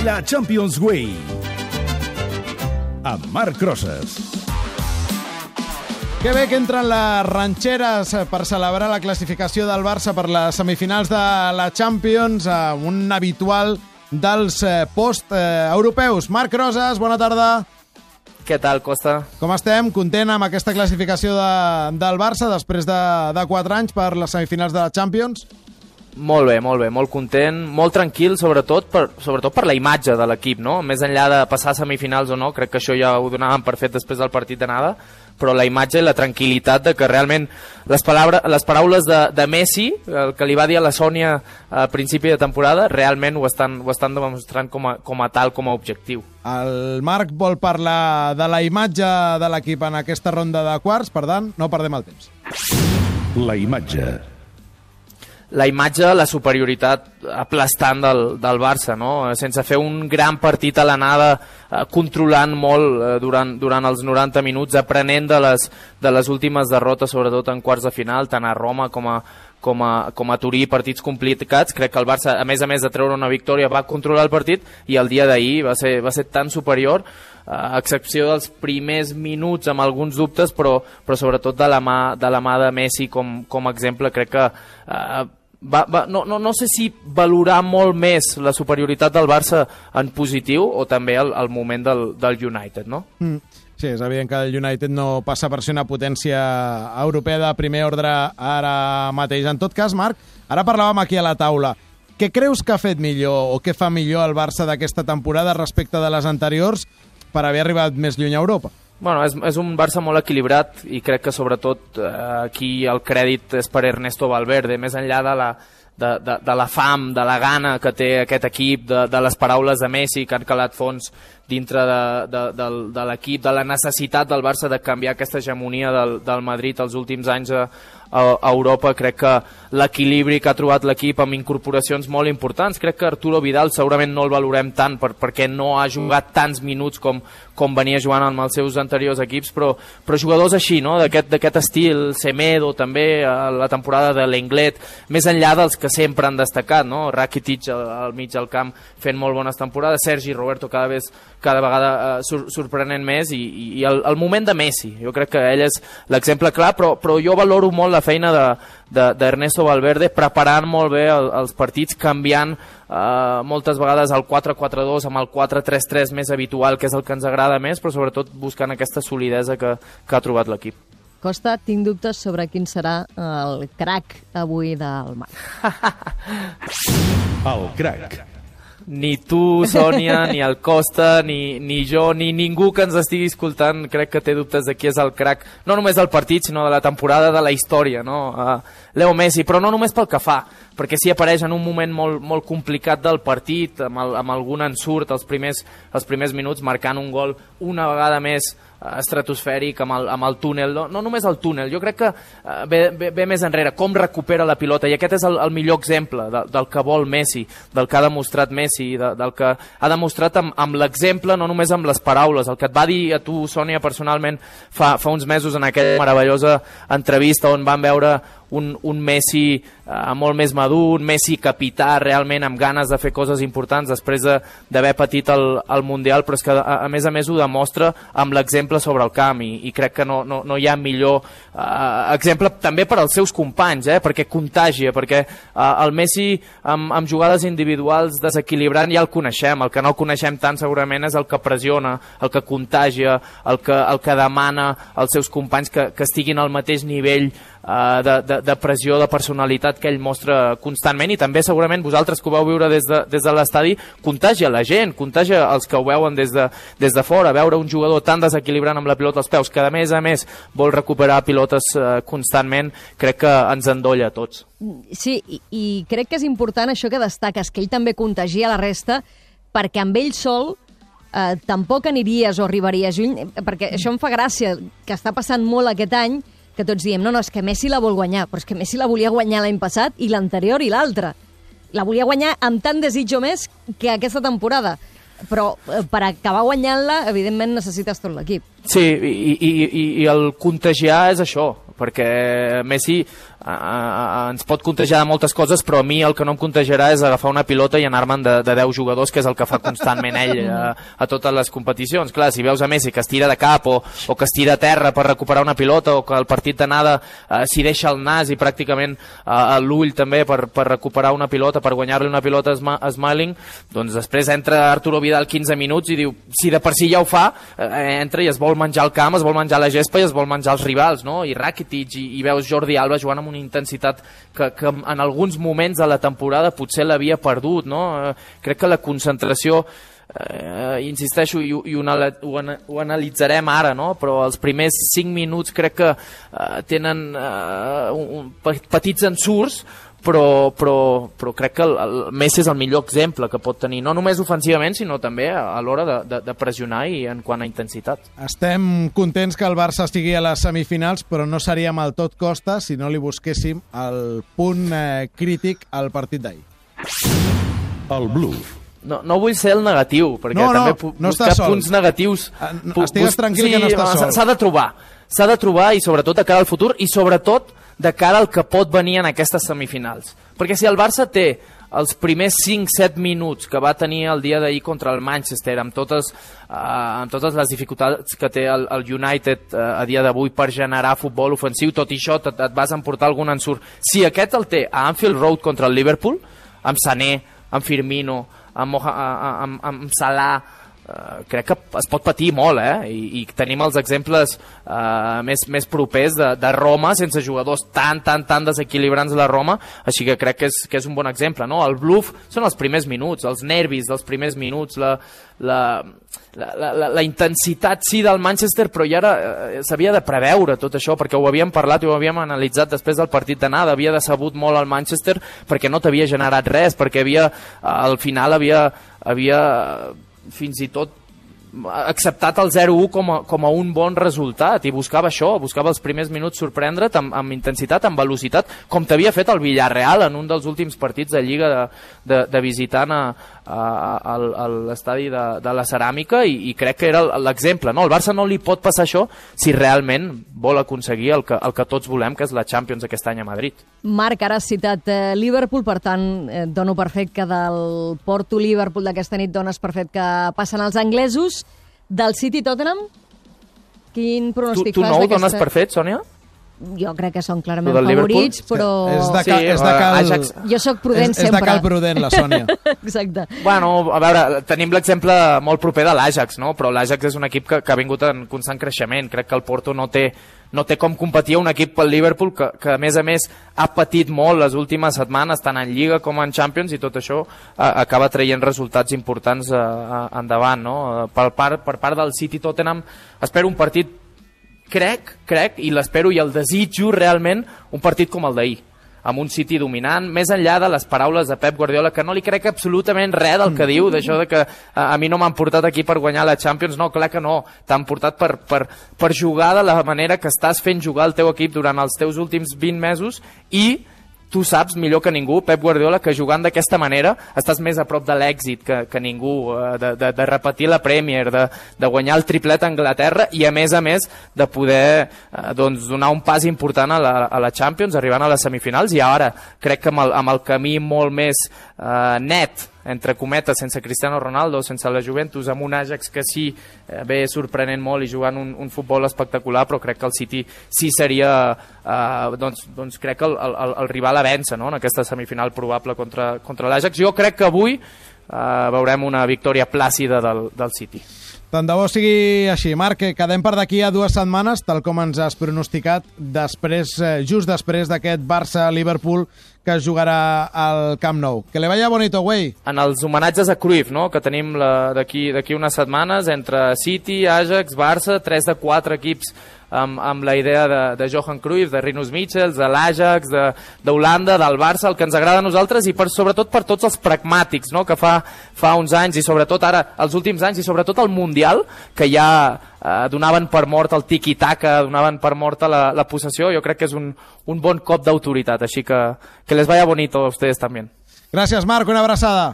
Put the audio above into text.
La Champions Way amb Marc Rosas. Que bé que entren les ranxeres per celebrar la classificació del Barça per les semifinals de la Champions, un habitual dels post-europeus. Marc Rosas, bona tarda. Què tal, Costa? Com estem? Content amb aquesta classificació del Barça després de 4 anys per les semifinals de la Champions? Molt bé, molt content, molt tranquil, sobretot per la imatge de l'equip, no? Més enllà de passar a semifinals o no, crec que això ja ho donàvem per fet després del partit d'anada, però la imatge i la tranquil·litat de que realment les paraules de Messi, el que li va dir a la Sònia a principi de temporada, realment ho estan demostrant com a objectiu. El Marc vol parlar de la imatge de l'equip en aquesta ronda de quarts, per tant, no perdem el temps. La imatge, la superioritat aplastant del Barça, no? Sense fer un gran partit a l'anada, controlant molt durant els 90 minuts, aprenent de les últimes derrotes, sobretot en quarts de final, tant a Roma com a Turí, partits complicats. Crec que el Barça, a més de treure una victòria, va controlar el partit, i el dia d'ahir va ser tan superior, a excepció dels primers minuts amb alguns dubtes, però sobretot de la mà de Messi com a exemple. Crec que no sé si valorar molt més la superioritat del Barça en positiu o també el moment del United, no? Sí, és evident que el United no passa per ser una potència europea de primer ordre ara mateix. En tot cas, Marc, ara parlàvem aquí a la taula. Què creus que ha fet millor o què fa millor el Barça d'aquesta temporada respecte de les anteriors per haver arribat més lluny a Europa? Bueno, és un Barça molt equilibrat i crec que sobretot aquí el crèdit és per Ernesto Valverde, més enllà de la fam, de la gana que té aquest equip, de les paraules de Messi que han calat fons dintre de l'equip, de la necessitat del Barça de canviar aquesta hegemonia del Madrid els últims anys a Europa. Crec que l'equilibri que ha trobat l'equip amb incorporacions molt importants, crec que Arturo Vidal segurament no el valorem tant perquè no ha jugat tants minuts com venia jugant amb els seus anteriors equips, però jugadors així, no? d'aquest estil, Semedo també, la temporada de l'Englet, més enllà dels que sempre han destacat, no? Rakitic al mig del camp fent molt bones temporades, Sergi Roberto cada vegada sorprenent més, i el moment de Messi, jo crec que ell és l'exemple clar, però jo valoro molt la feina d'Ernesto Valverde, preparant molt bé els partits, canviant moltes vegades el 4-4-2 amb el 4-3-3 més habitual, que és el que ens agrada més, però sobretot buscant aquesta solidesa que ha trobat l'equip. Costa, tinc dubtes sobre quin serà el crack avui del Marc. el crack. Ni tu, Sònia, ni el Costa, ni jo, ni ningú que ens estigui escoltant crec que té dubtes de qui és el crack, no només del partit, sinó de la temporada, de la història, no? Leo Messi, però no només pel que fa, perquè sí apareix en un moment molt complicat del partit, amb algun ensurt els primers minuts, marcant un gol una vegada més estratosfèric amb el túnel, no només el túnel, jo crec que ve més enrere, com recupera la pilota, i aquest és el millor exemple del que vol Messi, del que ha demostrat Messi, del que ha demostrat amb l'exemple, no només amb les paraules. El que et va dir a tu, Sònia, personalment fa uns mesos en aquella meravellosa entrevista on vam veure un Messi molt més madur, un Messi capità realment amb ganes de fer coses importants després d'haver patit el Mundial, però és que a més ho demostra amb l'exemple sobre el camp, i crec que no hi ha millor exemple també per als seus companys, perquè contagia, perquè el Messi amb jugades individuals desequilibrant ja el coneixem, el que no coneixem tant segurament és el que pressiona, el que contagia, el que demana als seus companys que estiguin al mateix nivell de pressió, de personalitat que ell mostra constantment, i també segurament vosaltres que ho vau viure des de l'estadi, contagia la gent, contagia els que ho veuen des de fora, veure un jugador tan desequilibrant amb la pilota als peus, que a més vol recuperar pilotes constantment, crec que ens endolla a tots. Sí, i crec que és important això que destaques, que ell també contagia la resta, perquè amb ell sol tampoc aniríes o arribaries lluny, perquè això em fa gràcia, que està passant molt aquest any, que tots diem, no, és que Messi la vol guanyar, però és que Messi la volia guanyar l'any passat i l'anterior i l'altre. La volia guanyar amb tant desig o més que aquesta temporada. Però per acabar guanyant-la, evidentment necessites tot l'equip. Sí, i el contagiar és això, perquè Messi ens pot contagiar de moltes coses, però a mi el que no em contagiarà és agafar una pilota i anar-me'n de 10 jugadors, que és el que fa constantment ell a totes les competicions. Clar, si veus a Messi que es tira de cap o que es tira a terra per recuperar una pilota, o que el partit d'anada s'hi deixa el nas i pràcticament l'ull també per recuperar una pilota, per guanyar-li una pilota a Smalling, doncs després entra Arturo Vidal 15 minuts i diu, si de per si ja ho fa, entra i es vol menjar el camp, es vol menjar la gespa i es vol menjar els rivals, no? I Rakitic, i veus Jordi Alba jugant amb una intensitat que en alguns moments de la temporada potser l'havia perdut, no? Crec que la concentració, insisteixo, i ho analitzarem ara, no? Però els primers 5 minuts crec que tenen petits ensurts, però crec que el Messi és el millor exemple que pot tenir, no només ofensivament, sinó també a l'hora de pressionar i en quant a intensitat. Estem contents que el Barça estigui a les semifinals, però no seríem al tot costa si no li busquéssim el punt crític al partit d'ahir. El bluff. No vull ser el negatiu, perquè també buscar punts negatius... Estigues tranquil que no estàs sol. S'ha de trobar i sobretot de cara al futur i sobretot de cara al que pot venir en aquestes semifinals. Perquè si el Barça té els primers 5-7 minuts que va tenir el dia d'ahir contra el Manchester, amb totes les dificultats que té el United a dia d'avui per generar futbol ofensiu, tot i això et vas emportar algun ensurt. Si aquest el té a Anfield Road contra el Liverpool, amb Sané, amb Firmino, amb Salah, crec que es pot patir molt, i tenim els exemples més propers de Roma, sense jugadors tan desequilibrants de la Roma, així que crec que és un bon exemple, no? El bluff són els primers minuts, els nervis dels primers minuts, la intensitat sí del Manchester, però ja s'havia de preveure tot això, perquè ho havíem parlat i ho havíem analitzat després del partit d'anada. Havia decebut molt el Manchester perquè no t'havia generat res, perquè al final havia fins i tot acceptat el 0-1 com a un bon resultat i buscava això, buscava els primers minuts sorprendre't amb intensitat, amb velocitat, com t'havia fet el Villarreal en un dels últims partits de Lliga de visitant a l'estadi de la Ceràmica, i crec que era l'exemple, no? El Barça no li pot passar això si realment vol aconseguir el que tots volem, que és la Champions aquest any a Madrid. Marc, ara has citat Liverpool, per tant dono per fet que del Porto-Liverpool d'aquesta nit dones per fet que passen els anglesos. Del City-Tottenham, quin pronòstic fas? Tu no ho dones per fet, Sònia? Jo crec que són clarament favorits, però... Jo sóc prudent sempre. És de cal prudent, la Sònia. Exacte. Bueno, a veure, tenim l'exemple molt proper de l'Ajax, no? Però l'Ajax és un equip que ha vingut en constant creixement. Crec que el Porto no té com competir un equip pel Liverpool que a més ha patit molt les últimes setmanes, tant en Lliga com en Champions, i tot això acaba traient resultats importants endavant, no? Per part del City-Tottenham espero un partit, crec, i l'espero i el desitjo realment, un partit com el d'ahir, amb un City dominant, més enllà de les paraules de Pep Guardiola, que no li crec absolutament res del que diu, d'això de que a mi no m'han portat aquí per guanyar la Champions. No, clar que no, t'han portat per jugar de la manera que estàs fent jugar el teu equip durant els teus últims 20 mesos, i tu saps millor que ningú, Pep Guardiola, que jugant d'aquesta manera estàs més a prop de l'èxit que ningú, de repetir la Premier, de guanyar el triplet a Anglaterra, i a més de poder donar un pas important a la Champions, arribant a les semifinals. I ara crec que amb el camí molt més net, entre cometes, sense Cristiano Ronaldo, sense la Juventus, amb un Ajax que sí ve sorprenent molt i jugant un futbol espectacular, però crec que el City sí seria doncs crec que el rival a vèncer, no? En aquesta semifinal probable contra l'Ajax. Jo crec que avui veurem una victòria plàcida del City. Tant de bo sigui així. Marc, quedem per d'aquí a 2 setmanes, tal com ens has pronosticat, just després d'aquest Barça-Liverpool que jugarà al Camp Nou. Que le vaya bonito, güey. En els homenatges a Cruyff, no?, que tenim d'aquí unes setmanes, entre City, Ajax, Barça, 3 de 4 equips amb la idea de Johan Cruyff, de Rinus Michels, de l'Ajax, d'Holanda, del Barça, el que ens agrada a nosaltres, i sobretot per tots els pragmàtics, no?, que fa uns anys, i sobretot ara, els últims anys, i sobretot el Mundial, que ja donaven per mort el tiki-taka, donaven per mort la possessió. Jo crec que és un bon cop d'autoritat, així que les vaya bonito a ustedes també. Gràcies, Marc, una abraçada.